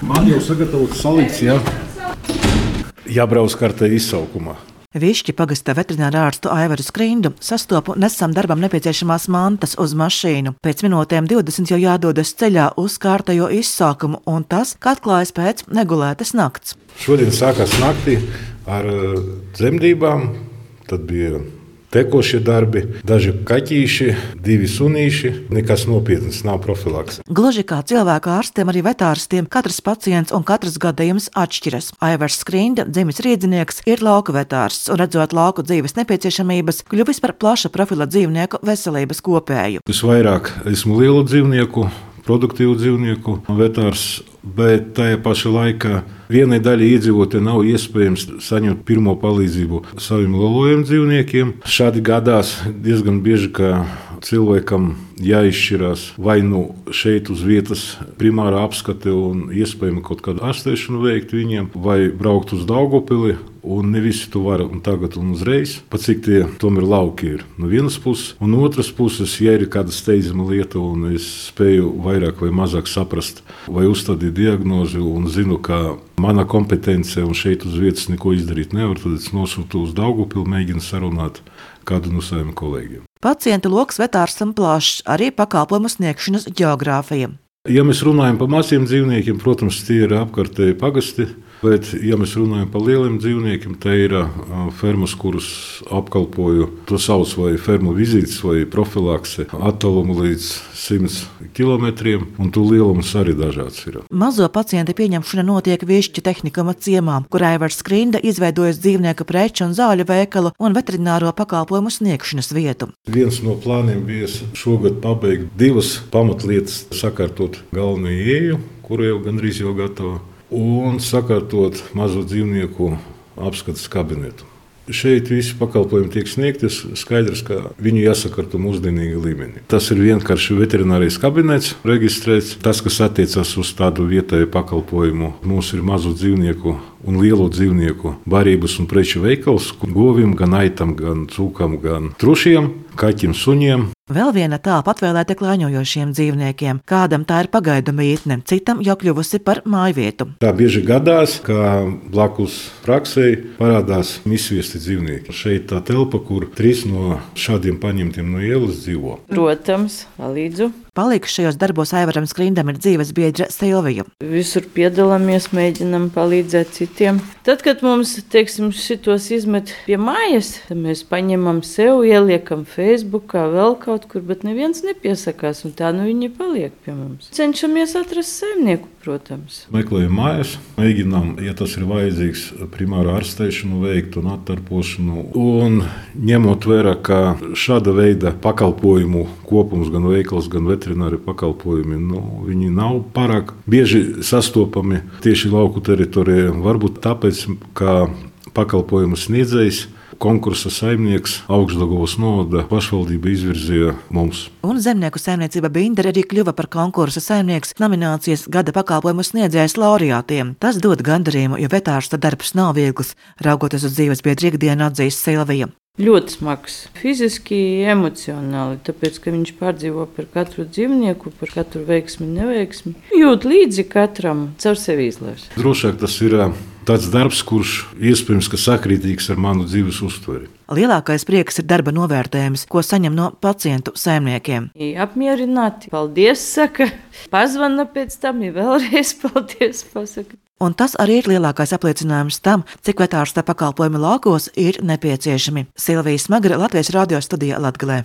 Man jau sagatavots salikts, jā. Jābrauc kartē izsaukumā. Višķi pagasta veterinārā ārstu Aivaru Skrindu sastopu nesam darbam nepieciešamās mantas uz mašīnu. Pēc minūtēm 20 jau jādodas ceļā uz kārtējo izsaukumu, un tas, kā atklājas pēc negulētas nakts. Šodien sākās naktī ar dzemdībām, tad bija tekošie darbi, daži kaķīši, 2 sunīši, nekas nopietnas, nav profilakse. Gluži kā cilvēku ārstiem, arī vetārstiem katrs pacients un katrs gadījums atšķiras. Aivars Skrinda, dzimis rīdzinieks, ir lauku vetārsts un redzot lauku dzīves nepieciešamības, kļuvis par plaša profila dzīvnieku veselības kopēju. Visvairāk esmu lielu dzīvnieku, produktīvu dzīvnieku vetārs, bet tajā pašā laikā vienai daļai iedzīvotāji nav iespējams saņemt pirmo palīdzību saviem lielajiem dzīvniekiem. Šādi gadās diezgan bieži, ka cilvēkam jāizšķirās vai nu šeit uz vietas primārā apskate un iespējami kaut kādu ārstēšanu veikt viņiem, vai braukt uz Daugavpili, un ne visi to var un tagad un uzreiz, pat cik tie tomēr lauki ir no vienas puses, un no otras puses, ja ir kāda steidzama lieta un es spēju vairāk vai mazāk saprast vai uzstādīt diagnozi un zinu, ka mana kompetence un šeit uz vietas neko izdarīt nevar, tad es nosūtu uz Daugavpili, mēģinu sarunāt kādu no saviem kolēģiem. Pacientu loks vetārstam plašs, arī pakalpojumu sniegšanas ģeogrāfija. Ja mēs runājam par maziem dzīvniekiem, protams, tie ir apkārtēji pagasti, bet, ja mēs runājam par lieliem dzīvniekiem, tā ir fermas, kuras apkalpoju, to sauc vai fermu vizītes vai profilakse, attālumu līdz 100 kilometriem, un to lielums arī dažāds ir. Mazo pacientu pieņemšana notiek Višķu tehnikuma ciemā, kur Aivars Skrinda izveidojas dzīvnieku preču un zāļu veikalu un veterināro pakalpojumu sniegšanas vietu. Viens no plāniem bija šogad pabeigt 2 pamatlietas, sakārtot galveno ieeju, kuru jau gandrīz jau gatava, un sakārtot mazo dzīvnieku apskates kabinetu. Šeit visi pakalpojumi tiek sniegti, skaidrs, ka viņu jāsakārto mūsdienīga līmenī. Tas ir vienkārši veterinārais kabinets reģistrēts. Tas, kas attiecas uz tādu vietēju pakalpojumu, mums ir mazo dzīvnieku un lielo dzīvnieku barības un preču veikals, govim, gan aitam, gan cūkam, gan trušiem, kaķim, suņiem. Vēl viena tālpa atvēlēta klāņojošiem dzīvniekiem. Kādam tā ir pagaidu mītne, citam jau kļuvusi par mājvietu. Tā bieži gadās, ka blakus praksei parādās izsviesti dzīvnieki. Šeit tā telpa, kur 3 no šādiem paņemtiem no ielas dzīvo. Protams, palīdzu. Palīgs šajos darbos Aivaram Skrindam ir dzīves biedra Silvija. Visur piedalāmies, mēģinam palīdzēt citiem. Tad, kad mums, šitos izmet pie mājas, tad mēs paņemam sev, ieliekam Facebookā vēl kaut kur, bet neviens nepiesakās, un tā viņi paliek pie mums. Cenšamies atrast saimnieku, protams. Meklējam mājas, mēģinām, ja tas ir vajadzīgs, primāru ārstēšanu veikt un attarpošanu, un ņemot vērā, ka šāda veida pakalpojumu kopums, gan veikals, gan veterināri pakalpojumi, viņi nav pārāk bieži sastopami tieši lauku teritorijā. Varbūt tāpēc, ka pakalpojumu sniedzējs, konkursa saimnieks Augšdaugavas novada pašvaldība izvirzīja mums. Un zemnieku saimniecība Bindere arī kļuva par konkursa saimnieks nominācijas gada pakalpojumu sniedzējas laureātiem. Tas dod gandarījumu, jo vetārsta darbs nav viegls, raugoties uz dzīves biedru ikdienu, atzīst Silvija. Ļoti smags, fiziski, emocionāli, tāpēc, ka viņš pārdzīvo par katru dzīvnieku, par katru veiksmi, neveiksmi. Jūt līdzi katram, caur sevi izlēs. Drošāk tas ir tāds darbs, kurš iespējams, ka sakrītīgs ar manu dzīves uztveri. Lielākais prieks ir darba novērtējums, ko saņem no pacientu saimniekiem. Apmierināti, paldies saka, pazvana pēc tam, vēlreiz paldies pasaka. Un tas arī ir lielākais apliecinājums tam, cik vetārsta pakalpojumi laukos ir nepieciešami. Silvija Smagara, Latvijas radio studijā Latgalē.